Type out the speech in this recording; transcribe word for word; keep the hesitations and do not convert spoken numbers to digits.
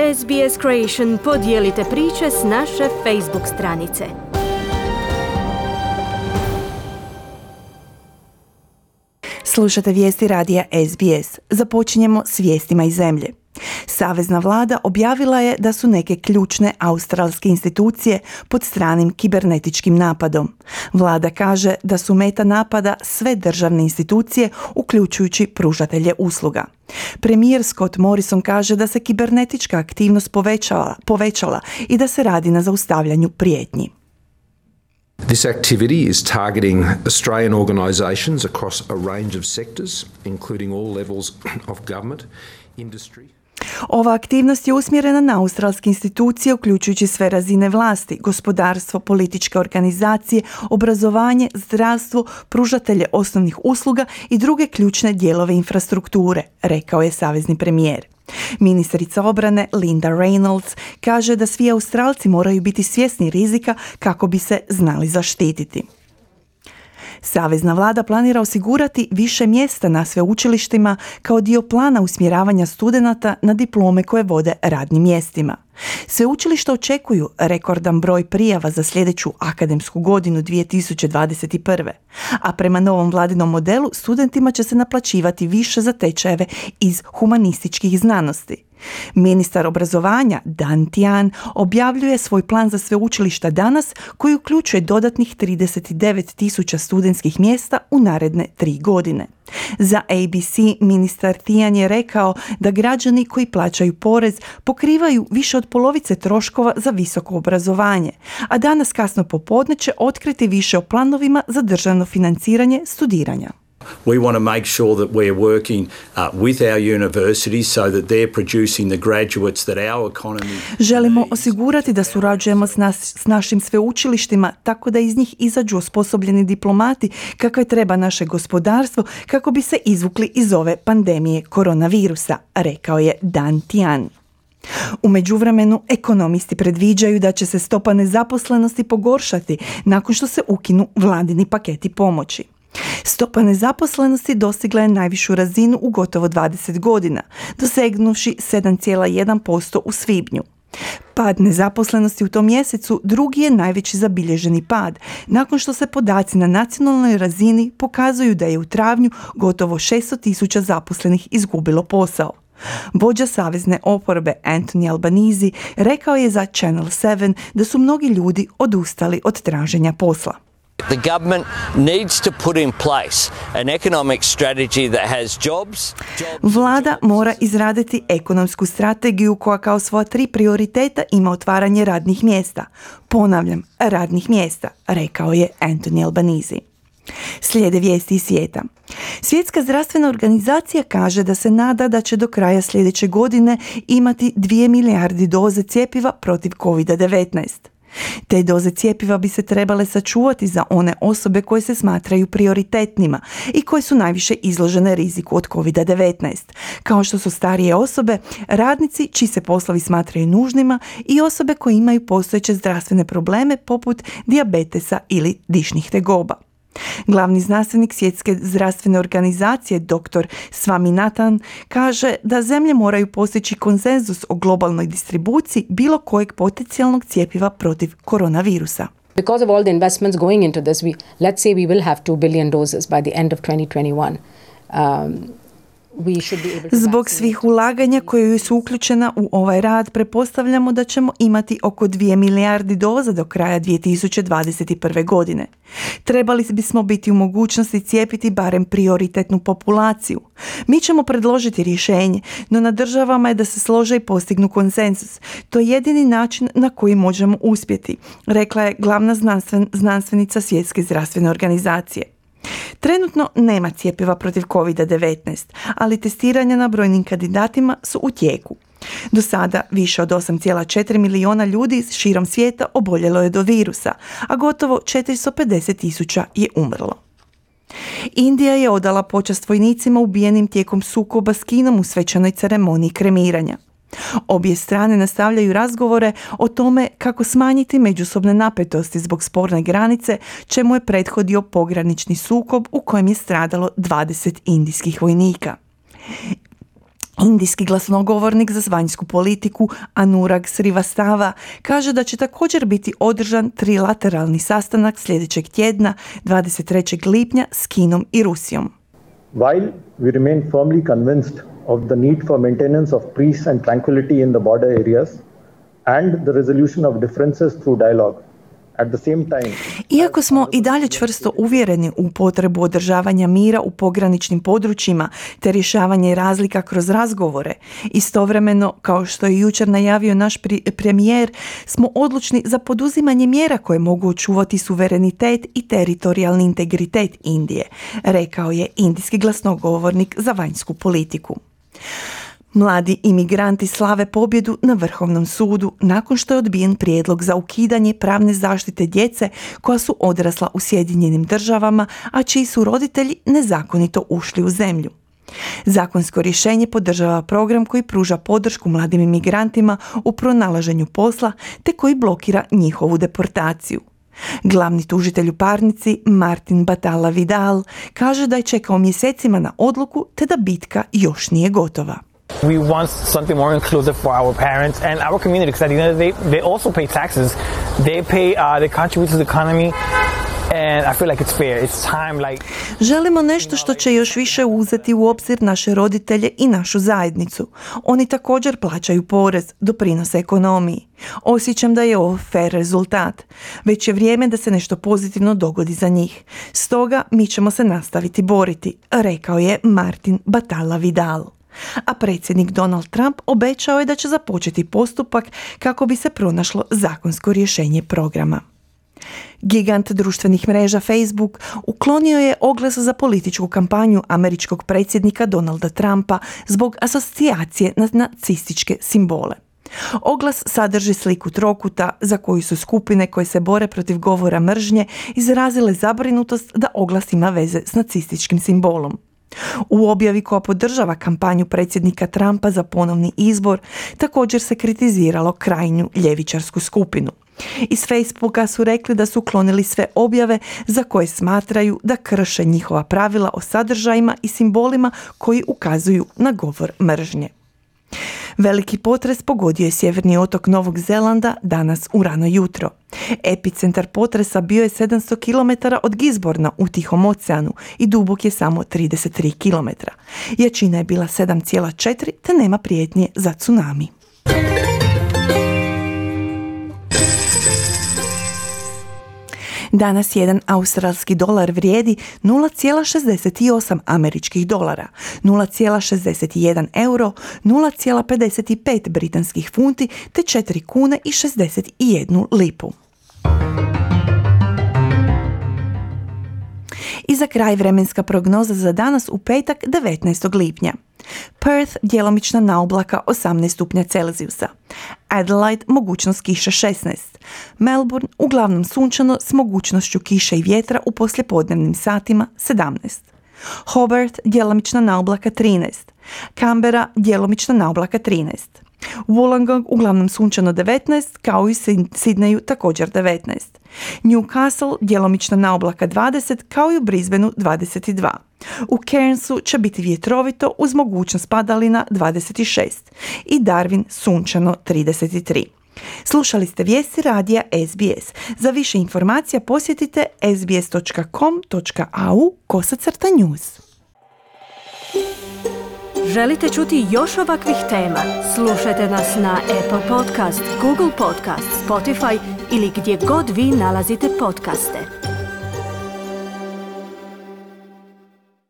S B S Creation podijelite priče s naše Facebook stranice. Slušate vijesti radija S B S. Započinjemo s vijestima iz zemlje. Savezna vlada objavila je da su neke ključne australske institucije pod stranim kibernetičkim napadom. Vlada kaže da su meta napada sve državne institucije, uključujući pružatelje usluga. Premijer Scott Morrison kaže da se kibernetička aktivnost povećala, povećala i da se radi na zaustavljanju prijetnji. This activity is targeting Australian organisations across a range of sectors, including all levels of government, industry. Ova aktivnost je usmjerena na australske institucije, uključujući sve razine vlasti, gospodarstvo, političke organizacije, obrazovanje, zdravstvo, pružatelje osnovnih usluga i druge ključne dijelove infrastrukture, rekao je savezni premijer. Ministrica obrane Linda Reynolds kaže da svi Australci moraju biti svjesni rizika kako bi se znali zaštititi. Savezna vlada planira osigurati više mjesta na sveučilištima kao dio plana usmjeravanja studenata na diplome koje vode radnim mjestima. Sveučilišta očekuju rekordan broj prijava za sljedeću akademsku godinu dvije tisuće dvadeset prve. A prema novom vladinom modelu studentima će se naplaćivati više za tečajeve iz humanističkih znanosti. Ministar obrazovanja Dan Tehan objavljuje svoj plan za sveučilišta danas, koji uključuje dodatnih trideset devet tisuća studentskih mjesta u naredne tri godine. Za A B C ministar Tehan je rekao da građani koji plaćaju porez pokrivaju više od polovice troškova za visoko obrazovanje, a danas kasno popodne će otkriti više o planovima za državno financiranje studiranja. We want to make sure that we're working uh, with our universities so that they're producing the graduates that our economy Želimo osigurati da surađujemo s, nas, s našim sveučilištima tako da iz njih izađu osposobljeni diplomati kakve treba naše gospodarstvo kako bi se izvukli iz ove pandemije koronavirusa, rekao je Dan Tehan. U međuvremenu, ekonomisti predviđaju da će se stopa nezaposlenosti pogoršati nakon što se ukinu vladini paketi pomoći. Stopa nezaposlenosti dostigla je najvišu razinu u gotovo dvadeset godina, dosegnuvši sedam zarez jedan posto u svibnju. Pad nezaposlenosti u tom mjesecu drugi je najveći zabilježeni pad, nakon što se podaci na nacionalnoj razini pokazuju da je u travnju gotovo šesto tisuća zaposlenih izgubilo posao. Vođa savezne oporbe Anthony Albanese rekao je za Channel sedam da su mnogi ljudi odustali od traženja posla. The government needs to put in place an economic strategy that has jobs. jobs Vlada mora izraditi ekonomsku strategiju koja kao svoja tri prioriteta ima otvaranje radnih mjesta. Ponavljam, radnih mjesta, rekao je Anthony Albanese. Slijede vijesti iz svijeta. Svjetska zdravstvena organizacija kaže da se nada da će do kraja sljedeće godine imati dvije milijardi doze cjepiva protiv kovid devetnaest. Te doze cjepiva bi se trebale sačuvati za one osobe koje se smatraju prioritetnima i koje su najviše izložene riziku od kovid devetnaest, kao što su starije osobe, radnici čiji se poslovi smatraju nužnima i osobe koje imaju postojeće zdravstvene probleme poput dijabetesa ili dišnih tegoba. Glavni znanstvenik Svjetske zdravstvene organizacije dr. Swaminathan kaže da zemlje moraju postići konsenzus o globalnoj distribuciji bilo kojeg potencijalnog cjepiva protiv koronavirusa. Because of all the investments going into this, we, let's say we will have two billion doses by the end of twenty twenty-one. Um, Zbog svih ulaganja koje su uključena u ovaj rad, pretpostavljamo da ćemo imati oko dvije milijardi doza do kraja dvije tisuće dvadeset prve. godine. Trebali bismo biti u mogućnosti cijepiti barem prioritetnu populaciju. Mi ćemo predložiti rješenje, no na državama je da se slože i postignu konsenzus. To je jedini način na koji možemo uspjeti, rekla je glavna znanstven, znanstvenica Svjetske zdravstvene organizacije. Trenutno nema cjepiva protiv kovid devetnaest, ali testiranja na brojnim kandidatima su u tijeku. Do sada više od osam zarez četiri milijuna ljudi širom svijeta oboljelo je do virusa, a gotovo četiristo pedeset tisuća je umrlo. Indija je odala počast vojnicima ubijenim tijekom sukoba s Kinom u svečanoj ceremoniji kremiranja. Obje strane nastavljaju razgovore o tome kako smanjiti međusobne napetosti zbog sporne granice, čemu je prethodio pogranični sukob u kojem je stradalo dvadeset indijskih vojnika. Indijski glasnogovornik za vanjsku politiku Anurag Srivastava kaže da će također biti održan trilateralni sastanak sljedećeg tjedna dvadeset trećeg lipnja s Kinom i Rusijom. While we remain firmly convinced of the need for maintenance of peace and tranquility in the border areas and the resolution of differences through dialogue, at the same time, iako smo i dalje čvrsto uvjereni u potrebu održavanja mira u pograničnim područjima te rješavanje razlika kroz razgovore, istovremeno, kao što je jučer najavio naš premijer, smo odlučni za poduzimanje mjera koje mogu očuvati suverenitet i teritorijalni integritet Indije, rekao je indijski glasnogovornik za vanjsku politiku. Mladi imigranti slave pobjedu na Vrhovnom sudu nakon što je odbijen prijedlog za ukidanje pravne zaštite djece koja su odrasla u Sjedinjenim državama, a čiji su roditelji nezakonito ušli u zemlju. Zakonsko rješenje podržava program koji pruža podršku mladim imigrantima u pronalaženju posla te koji blokira njihovu deportaciju. Glavni tužitelj u parnici, Martin Batalla Vidal, kaže da je čekao mjesecima na odluku te da bitka još nije gotova. We want something more inclusive for our parents and our community, because at the end of the day, they also pay taxes. They pay, uh, they contribute to the economy, and I feel like it's fair. It's time, like... Želimo nešto što će još više uzeti u obzir naše roditelje i našu zajednicu. Oni također plaćaju porez, doprinose ekonomiji. Osjećam da je ovo fair rezultat. Već je vrijeme da se nešto pozitivno dogodi za njih. Stoga mi ćemo se nastaviti boriti, rekao je Martin Batalla Vidal. A predsjednik Donald Trump obećao je da će započeti postupak kako bi se pronašlo zakonsko rješenje programa. Gigant društvenih mreža Facebook uklonio je oglas za političku kampanju američkog predsjednika Donalda Trumpa zbog asocijacije na nacističke simbole. Oglas sadrži sliku trokuta za koju su skupine koje se bore protiv govora mržnje izrazile zabrinutost da oglas ima veze s nacističkim simbolom. U objavi koja podržava kampanju predsjednika Trumpa za ponovni izbor također se kritiziralo krajnju ljevičarsku skupinu. Iz Facebooka su rekli da su uklonili sve objave za koje smatraju da krše njihova pravila o sadržajima i simbolima koji ukazuju na govor mržnje. Veliki potres pogodio je sjeverni otok Novog Zelanda danas u rano jutro. Epicentar potresa bio je sedamsto kilometara od Gisborna u Tihom oceanu i dubok je samo trideset tri kilometra. Jačina je bila sedam zarez četiri te nema prijetnje za tsunami. Danas jedan australski dolar vrijedi nula zarez šezdeset osam američkih dolara, nula zarez šezdeset jedan euro, nula zarez pedeset pet britanskih funti te četiri kune i šezdeset jednu lipu. I za kraj vremenska prognoza za danas u petak devetnaestog lipnja. Perth djelomična naoblaka osamnaest stupnja Celzijusa. Adelaide mogućnost kiše šesnaest. Melbourne uglavnom sunčano s mogućnošću kiše i vjetra u poslijepodnevnim satima sedamnaest. Hobart djelomična naoblaka trinaest. Canberra djelomična naoblaka trinaest. Wollongong uglavnom sunčano devetnaest, kao i Sidneju također devetnaest. Newcastle djelomična naoblaka dvadeset, kao i u Brisbaneu dvadeset dva. U Cairnsu će biti vjetrovito uz mogućnost padalina dvadeset šest i Darwin sunčano trideset tri. Slušali ste vijesti radija S B S. Za više informacija posjetite sbs dot com dot a u kosacrta news. Želite čuti još ovakvih tema? Slušajte nas na Apple Podcast, Google Podcast, Spotify ili gdje god vi nalazite podcaste.